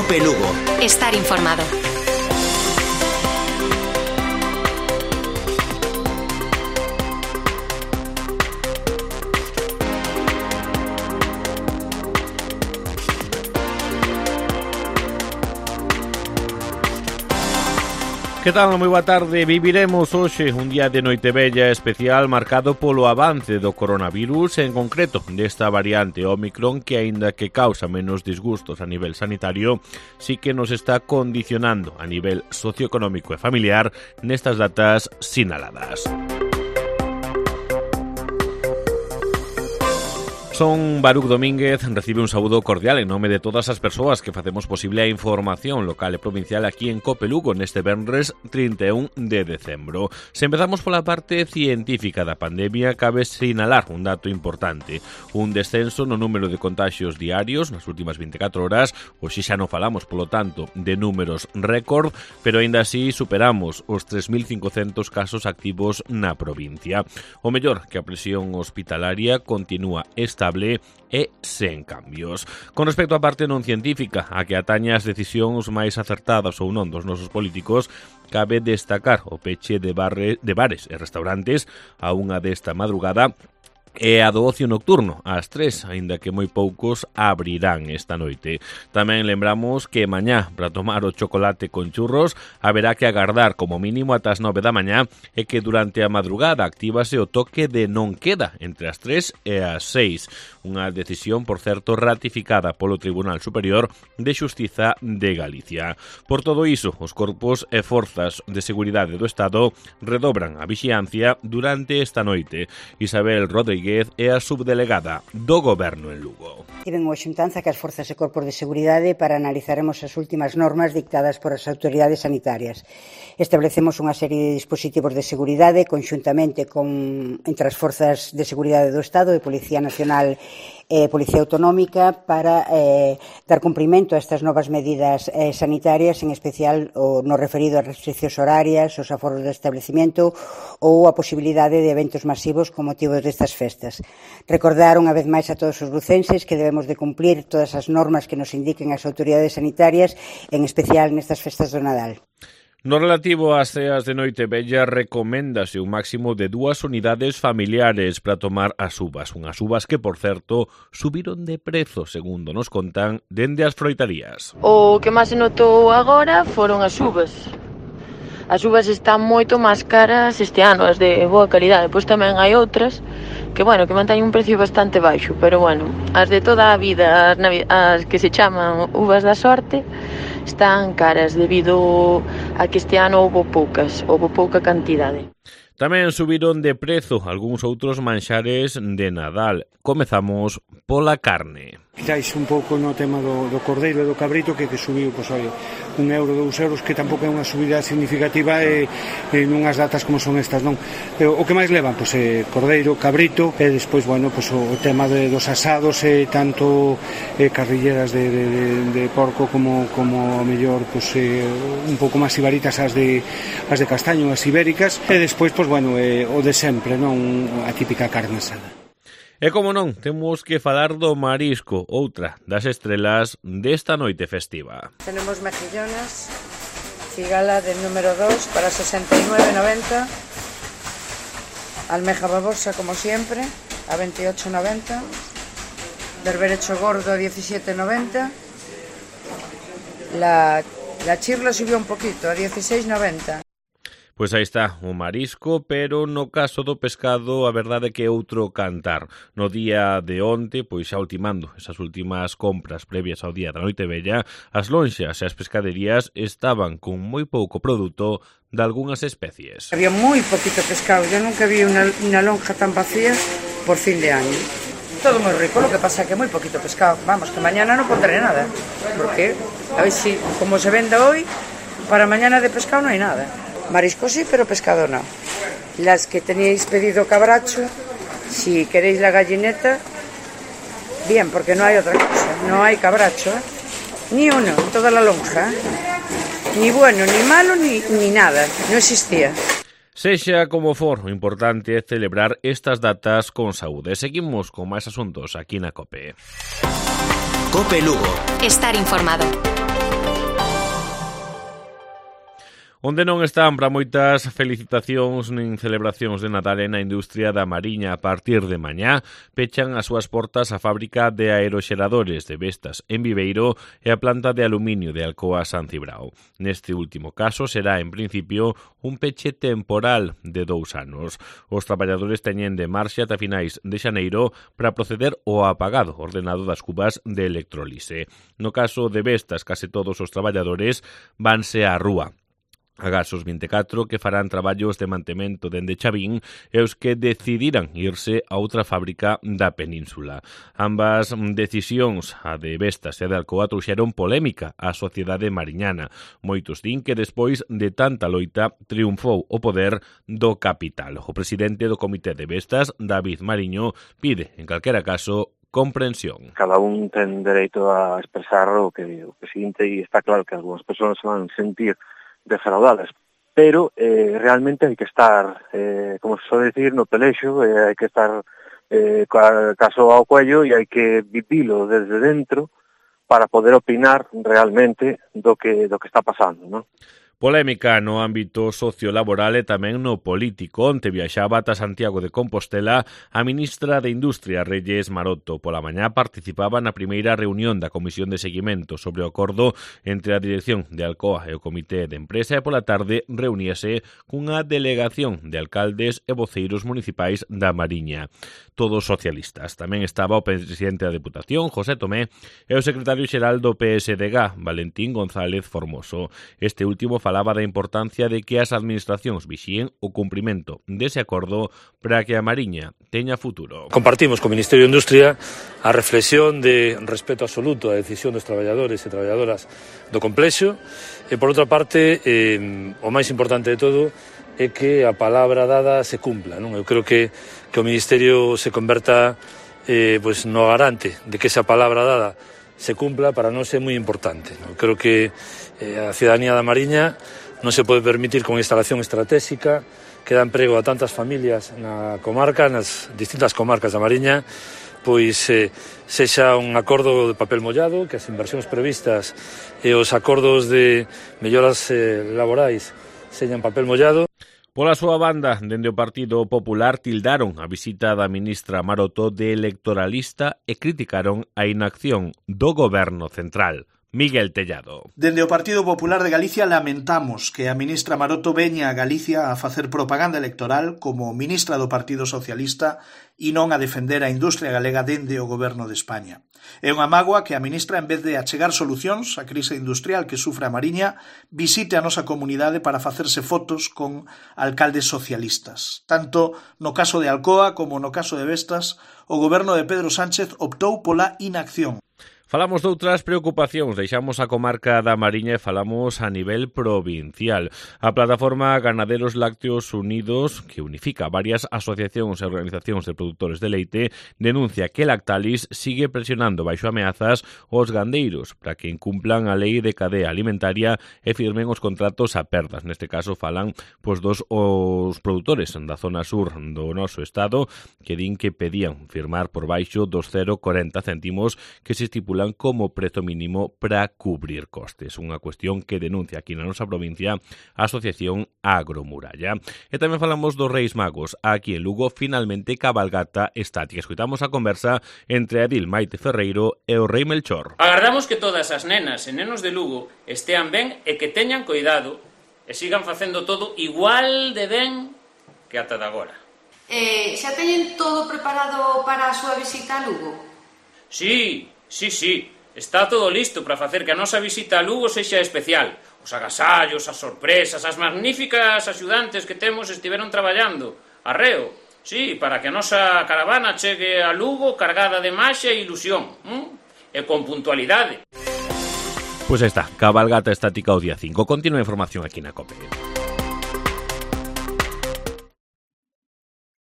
COPE Lugo. Estar informado. Que tal? Moi boa tarde. Viviremos hoxe un día de Noitevella especial marcado polo avance do coronavirus, en concreto desta variante Omicron que, aínda que causa menos disgustos a nivel sanitario, sí que nos está condicionando a nivel socioeconómico e familiar nestas datas sinaladas. Son Baruch Domínguez, recibe un saúdo cordial en nome de todas as persoas que facemos posible a información local e provincial aquí en COPE Lugo neste venres 31 de decembro. Se empezamos pola parte científica da pandemia, cabe sinalar un dato importante, un descenso no número de contagios diarios nas últimas 24 horas, hoxe xa non falamos, polo tanto, de números récord, pero aínda así superamos os 3.500 casos activos na provincia. O mellor, que a presión hospitalaria continúa estable e sen cambios. Con respecto á parte non científica, a que atañe as decisións máis acertadas ou non dos nosos políticos, cabe destacar o peche de bares e restaurantes a unha desta madrugada e a do ocio nocturno, ás 3, aínda que moi poucos abrirán esta noite. Tamén lembramos que mañá, para tomar o chocolate con churros, haberá que agardar como mínimo ata as 9 da mañá e que durante a madrugada actívase o toque de non queda entre as 3 e as 6. Unha decisión, por certo, ratificada polo Tribunal Superior de Xustiza de Galicia. Por todo iso, os corpos e forzas de seguridade do Estado redobran a vixiancia durante esta noite. Isabel Rodríguez é a subdelegada do Goberno en Lugo. Tiven unha xuntanza que as forzas e corpos de seguridade para analizaremos as últimas normas dictadas por as autoridades sanitarias. Establecemos unha serie de dispositivos de seguridade conxuntamente entre as forzas de seguridade do Estado e Policía Nacional e Policía Autonómica para dar cumprimento a estas novas medidas sanitarias, en especial no referido ás restriccións horarias, os aforos de establecimiento ou a posibilidade de eventos masivos con motivo destas festas. Recordar unha vez máis a todos os lucenses que debemos de cumplir todas as normas que nos indiquen as autoridades sanitarias, en especial nestas festas do Nadal. No relativo ás ceas de Noitevella, recoméndase un máximo de 2 unidades familiares para tomar as uvas. Unhas uvas que, por certo, subiron de prezo, segundo nos contan, dende as froitarías. O que máis se notou agora foron as uvas. As uvas están moito máis caras este ano, as de boa calidade. Pois tamén hai outras que, que manteñen un precio bastante baixo, pero, as de toda a vida, as que se chaman uvas da sorte, están caras debido a que este ano houve pouca cantidade. Tamén subiron de prezo algúns outros manxares de Nadal. Comezamos pola carne. Quitáis un pouco no tema do cordeiro e do cabrito que subiu, €1, €2, que tampouco é unha subida significativa nunhas datas como son estas, non? O que máis levan, cordeiro, cabrito e despois, o tema dos asados e tanto carrilleras de porco como a mellor un pouco máis ibaritas as de castaño, as ibéricas e despois, o de sempre, non? A típica carne asada. E como non, temos que falar do marisco, outra das estrelas desta noite festiva. Tenemos mejillones, cigala del número 2 para 69,90, almeja babosa como siempre a 28,90, berberecho gordo a 17,90, la chirla subió un poquito a 16,90. Pois aí está o marisco, pero no caso do pescado a verdade é que é outro cantar. No día de onte, pois xa ultimando esas últimas compras previas ao día da Noitevella, as lonxas e as pescaderías estaban con moi pouco produto de algunhas especies. Había moi poquito pescado, yo nunca vi unha lonja tan vacía por fin de año. Todo moi rico, lo que pasa é que moi poquito pescado. Vamos, que mañana non pondré nada, porque a ver si, como se venda hoy, para mañana de pescado non hai nada. Marisco sí, pero pescado no. Las que teníais pedido cabracho, si queréis la gallineta, bien, porque no hay otra cosa. No hay cabracho, ni uno en toda la lonja. Ni bueno, ni malo, ni nada. No existía. Sexa como for, o importante é celebrar estas datas con saúde. Seguimos con máis asuntos aquí na COPE. COPE Lugo. Estar informado. Onde non están para moitas felicitacións nin celebracións de Nadal na industria da Mariña. A partir de mañá pechan as súas portas a fábrica de aeroxeradores de Vestas en Viveiro e a planta de aluminio de Alcoa San Cibrao. Neste último caso será, en principio, un peche temporal de 2 anos. Os traballadores teñen de marxe ata finais de xaneiro para proceder ao apagado ordenado das cubas de electrolise. No caso de Vestas, case todos os traballadores vanse á rúa. Agasos 24 que farán traballos de mantemento dende Chavín e os que decidirán irse a outra fábrica da península. Ambas decisións, a de Vestas e a de Alcoa, trouxeron polémica á sociedade mariñana. Moitos din que despois de tanta loita triunfou o poder do capital. O presidente do Comité de Vestas, David Mariño, pide, en calquera caso, comprensión. Cada un ten dereito a expresar o que sinte e está claro que algunhas persoas se van sentir defraudadas, pero realmente hai que estar, como se suele decir, no pelexo, hai que estar caso ao cuello e hai que vivilo desde dentro para poder opinar realmente do que está pasando, non? Polémica no ámbito sociolaboral e tamén no político. Onte viaxaba ata Santiago de Compostela a ministra de Industria, Reyes Maroto. Pola mañá participaba na primeira reunión da Comisión de Seguimento sobre o acordo entre a dirección de Alcoa e o Comité de Empresa e pola tarde reuníase cunha delegación de alcaldes e voceiros municipais da Mariña. Todos socialistas. Tamén estaba o presidente da Deputación, José Tomé, e o secretario xeral do PSDG, Valentín González Formoso. Este último falaba da importancia de que as administracións vixíen o cumprimento dese acordo para que a Mariña teña futuro. Compartimos co Ministerio de Industria a reflexión de respeto absoluto á decisión dos traballadores e traballadoras do complexo e, por outra parte, o máis importante de todo é que a palabra dada se cumpla, non? Eu creo que o Ministerio se converta no garante de que esa palabra dada se cumpla. Para nós é moi importante, non? Creo que a cidadanía da Mariña non se pode permitir con instalación estratégica que dá emprego a tantas familias na comarca, nas distintas comarcas da Mariña, pois sexa un acordo de papel mollado, que as inversións previstas e os acordos de melloras laborais señan papel mollado. Pola súa banda, dende o Partido Popular tildaron a visita da ministra Maroto de electoralista e criticaron a inacción do Goberno central. Miguel Tellado. Dende o Partido Popular de Galicia lamentamos que a ministra Maroto veña a Galicia a facer propaganda electoral como ministra do Partido Socialista e non a defender a industria galega dende o Goberno de España. É unha mágoa que a ministra, en vez de achegar solucións á crise industrial que sufre a Mariña, visite a nosa comunidade para facerse fotos con alcaldes socialistas. Tanto no caso de Alcoa como no caso de Vestas, o Goberno de Pedro Sánchez optou pola inacción. Falamos de outras preocupacións, deixamos a comarca da Mariña e falamos a nivel provincial. A plataforma Ganaderos Lácteos Unidos, que unifica varias asociacións e organizacións de produtores de leite, denuncia que Lactalis sigue presionando baixo ameazas os gandeiros para que incumplan a lei de cadea alimentaria e firmen os contratos a perdas. Neste caso falan dos os produtores da zona sur do noso estado que din que pedían firmar por baixo dos 0,40 céntimos que se estipulan como prezo mínimo para cubrir costes. Unha cuestión que denuncia aquí na nosa provincia a Asociación Agromuralla. E tamén falamos dos Reis Magos. Aquí en Lugo, finalmente, cabalgata estática. Escoitamos a conversa entre Adil Maite Ferreiro e o Rei Melchor. Agardamos que todas as nenas e nenos de Lugo estean ben e que teñan cuidado e sigan facendo todo igual de ben que ata de agora. Xa teñen todo preparado para a súa visita a Lugo? Sí. Está todo listo para facer que a nosa visita a Lugo sexa especial. Os agasallos, as sorpresas, as magníficas axudantes que temos estiveron traballando. Arreo, sí, para que a nosa caravana chegue a Lugo cargada de maxia e ilusión. E con puntualidade. Pois está, cabalgata estática o día 5. Continúa a información aquí na COPE.